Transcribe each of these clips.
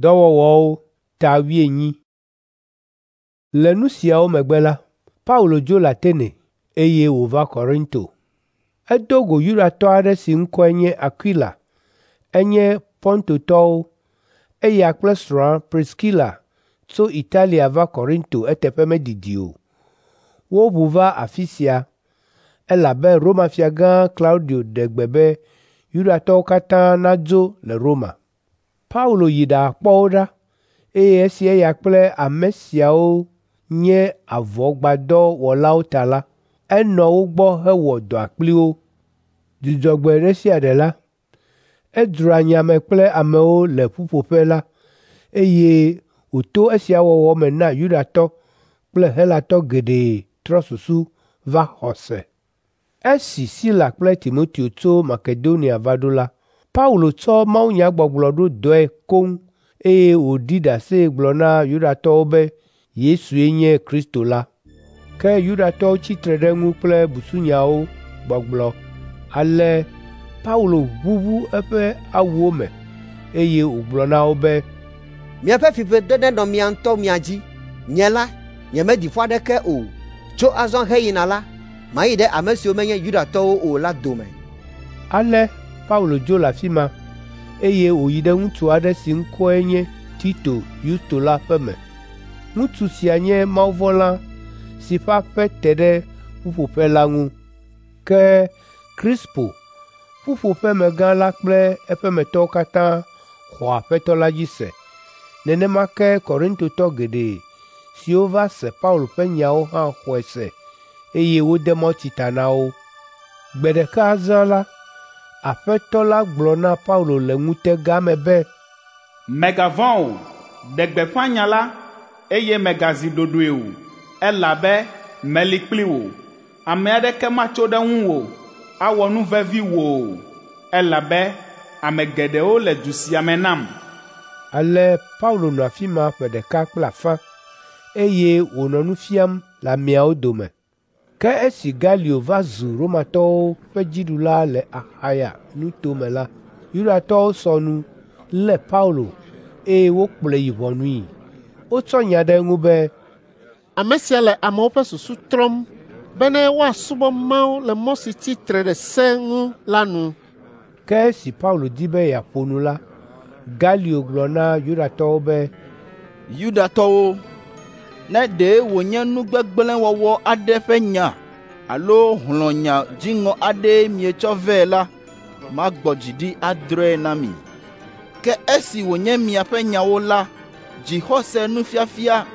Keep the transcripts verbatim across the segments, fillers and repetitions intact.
Dɔwɔwɔwo ta wuienyi. Le nu siawo megbe la, Paulo dzo le Atene, eye wòva Korinto. Edo go Yudatɔ aɖe si ŋkɔe nye Akwila, enye Pontotɔwo. Eya kple srɔ̃a Priskila tso Italia va Korinto eteƒe medidi o. Woʋu va afi sia, elabe Roma Fiagã Klaudio ɖe gbe be Yudatɔwo katã nadzo le Roma. Paulo yi ɖakpɔ wo ɖa, eye esi eya kple ame siawo nye avɔgbadɔwɔlawo ta la, enɔ wo gbɔ hewɔ dɔa kpli wo. Dzudzɔgbe ɖe sia ɖe la, edzroa nya me kple amewo le ƒuƒoƒe la, eye wòto esia wɔwɔ me na Yudatɔ kple Helatɔ geɖe trɔ susu va xɔse. Esi Sila kple Timoteo tso Makedonia va ɖo la, Paulo tsɔ mawunyagbɔgblɔ ɖo dɔe koŋ eye wòɖi ɖase gblɔ na Yudatɔwo be Yesue nye Kristo la. Ke Yudatɔwo tsi tre ɖe eŋu kple busunyawo gbɔgblɔ. Ale Paulo ʋuʋu eƒe awuwo me eye wògblɔ na wo be, Miaƒe fiƒode nenɔ mia ŋutɔ mia dzi. Nye la, nyemeɖi fɔ aɖeke o. Tso azɔ heyina la, mayi ɖe ame siwo menye Yudatɔwo o la dome. Ale Paulo dzo le afi ma, eye wòyi ɖe ŋutsu aɖe si ŋkɔe nye Tito Yusto la ƒe me. Ŋutsu sia nye mawuvɔ̃la si ƒe aƒe te ɖe ƒuƒoƒe la ŋu. Ke Krispo, ƒuƒoƒemegã la kple eƒemetɔwo katã xɔ Aƒetɔ la dzi se. Nenema ke Korintotɔ geɖe siwo va se Paulo ƒe nyawo hã xɔe se eye wode mawutsi ta na wo. Gbe ɖeka zã la, Aƒetɔ la gblɔ na Paulo le ŋutega me be, Mègavɔ̃ o, ɖe gbeƒã nya la, eye mègazi ɖoɖoe o, elabe meli kpli wò. Ame aɖeke matso ɖe ŋuwò, awɔ nu vevi wò o, elabe ame geɖewo le du sia me nam. Ale Paulo nɔ afi ma ƒe ɖeka kple afã, eye wònɔ nu fiam le ameawo dome. Ke esi Galio va zu Romatɔwo ƒe dziɖula le Axaya nutome la, Yudatɔwo sɔ nu, lé Paulo, eye wokplɔe yi ʋɔnui. Wotsɔ nya ɖe eŋu be, Ame sia le amewo ƒe susu trɔm bene woasubɔ Mawu le mɔ si tsi tre ɖe se ŋu la nu. Ke esi Paulo di be yeaƒo nu la, Galio gblɔ na Yudatɔwo be, Yudatɔwo, ne ɖe wònye nu gbegblẽ wɔwɔ aɖe ƒe nya alo hlɔ̃nya dziŋɔ aɖee mietsɔ vɛ la, magbɔ dzi ɖi adrɔ̃e na mi. Ke esi wònye miaƒe nyawo la, dzixɔse nufiafia,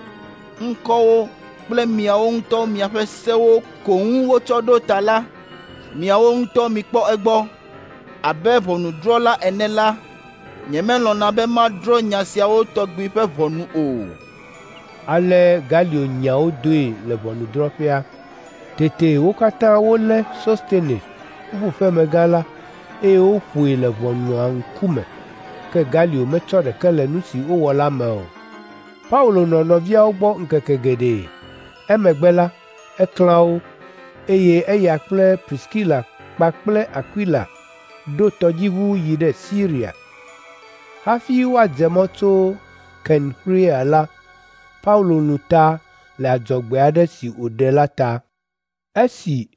ŋkɔwo kple miawo ŋutɔ miaƒe sewo ko ŋu wotsɔ ɖo ta la, miawo ŋutɔ mikpɔ egbɔ. Abe ʋɔnudrɔ̃la ene la, nyemelɔ̃na be madrɔ̃ nya siawo tɔgbi ƒe ʋɔnu o. Ale Galio nya wo doe le ʋɔnudrɔ̃ƒea. Tete wo katã wolé Sostene, ƒuƒoƒemegã la, eye woƒoe le ʋɔnua ŋkume. Ke Galio metsɔ ɖeke le nu si wowɔ la me o. Paulo nɔ nɔviawo gbɔ ŋkeke geɖe. Emegbe la, eklã wo, eye eya kple Priskila kpakple Akwila ɖo tɔdziʋu yi ɖe Siria. Hafi woadze mɔ tso Kenxrea la, Paulo lũ ta le adzɔgbe aɖe si wòɖe la ta. Esi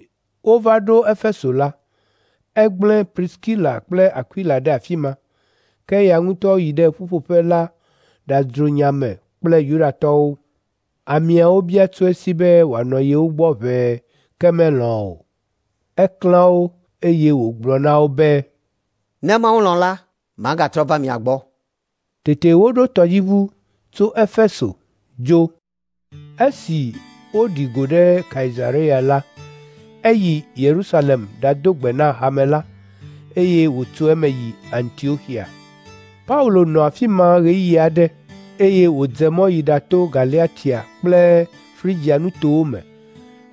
wova ɖo Efeso la, egblẽ Priskila kple Akwila ɖe afi ma, ke eya ŋutɔ yi ɖe ƒuƒoƒe la ɖadzro nya me kple Yudatɔwo. Ameawo bia tso esi be wòanɔ yewo gbɔ ʋɛe, ke melɔ̃ o. Eklã wo eye wògblɔ na wo be, Ne Mawu lɔ̃ la, magatrɔ va mia gbɔ. Tete woɖo tɔdziʋu tso Efeso dzo. Esi woɖi go ɖe Kaisarea la, eyi Yerusalem ɖado gbe na hame la, eye wòtso eme yi Antioxia. Paulo nɔ afi ma ɣeyiɣi aɖe, eye wòdze mɔ yi ɖato Galatia kple Frigia nutowo me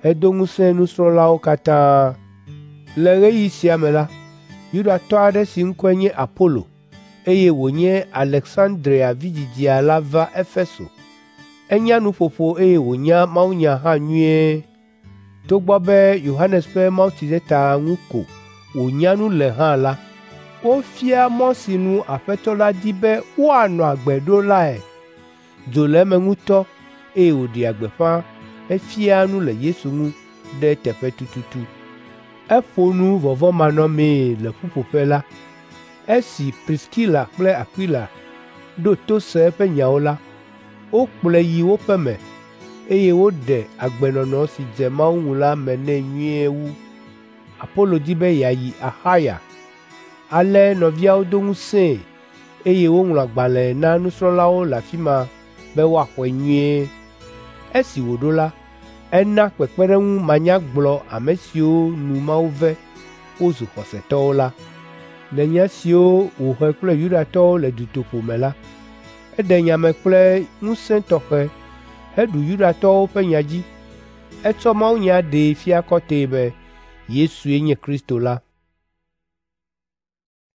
hedo ŋusẽ nusrɔ̃lawo katã. Le ɣeyiɣi sia me la, Yudatɔ aɖe si ŋkɔe nye Apolo, eye wònye Aleksandria vidzidzia la va Efeso. Enya nuƒoƒo eye wònya mawunya hã nyuie. Togbɔ be Yohanes ƒe mawutsideta ŋu ko wònya nu le hã la, Wofia mɔ si nu Aƒetɔ la di be woanɔ agbe ɖo lae. Dzo le eme ŋutɔ eye wòɖea gbeƒã hefiaa nu le Yesu ŋu ɖe eteƒe tututu. Eƒo nu vɔvɔ̃manɔmee le ƒuƒoƒe la. Esi Priskila kple Akwila ɖo to se eƒe nyawo la, wokplɔe yi wo ƒe me eye woɖe agbenɔnɔ si dze Mawu ŋu la me nɛ nyuie wu. Apolo di be yeayi Axaya. Ale nɔviawo do ŋusẽe eye woŋlɔ agbalẽ na nusrɔ̃lawo le afi ma be woaxɔe nyuie. Esi wòɖo la, ena kpekpeɖeŋu manyagblɔ ame siwo nu Mawu ve wozu xɔsetɔwo la. Le nya siwo wòhe kple Yudatɔwo le dutoƒo me la, eɖe nya me kple ŋusẽ tɔxɛ heɖu Yudatɔwo ƒe nya dzi. Etsɔ mawunya ɖee fia kɔtɛe be Yesue nye Kristo la.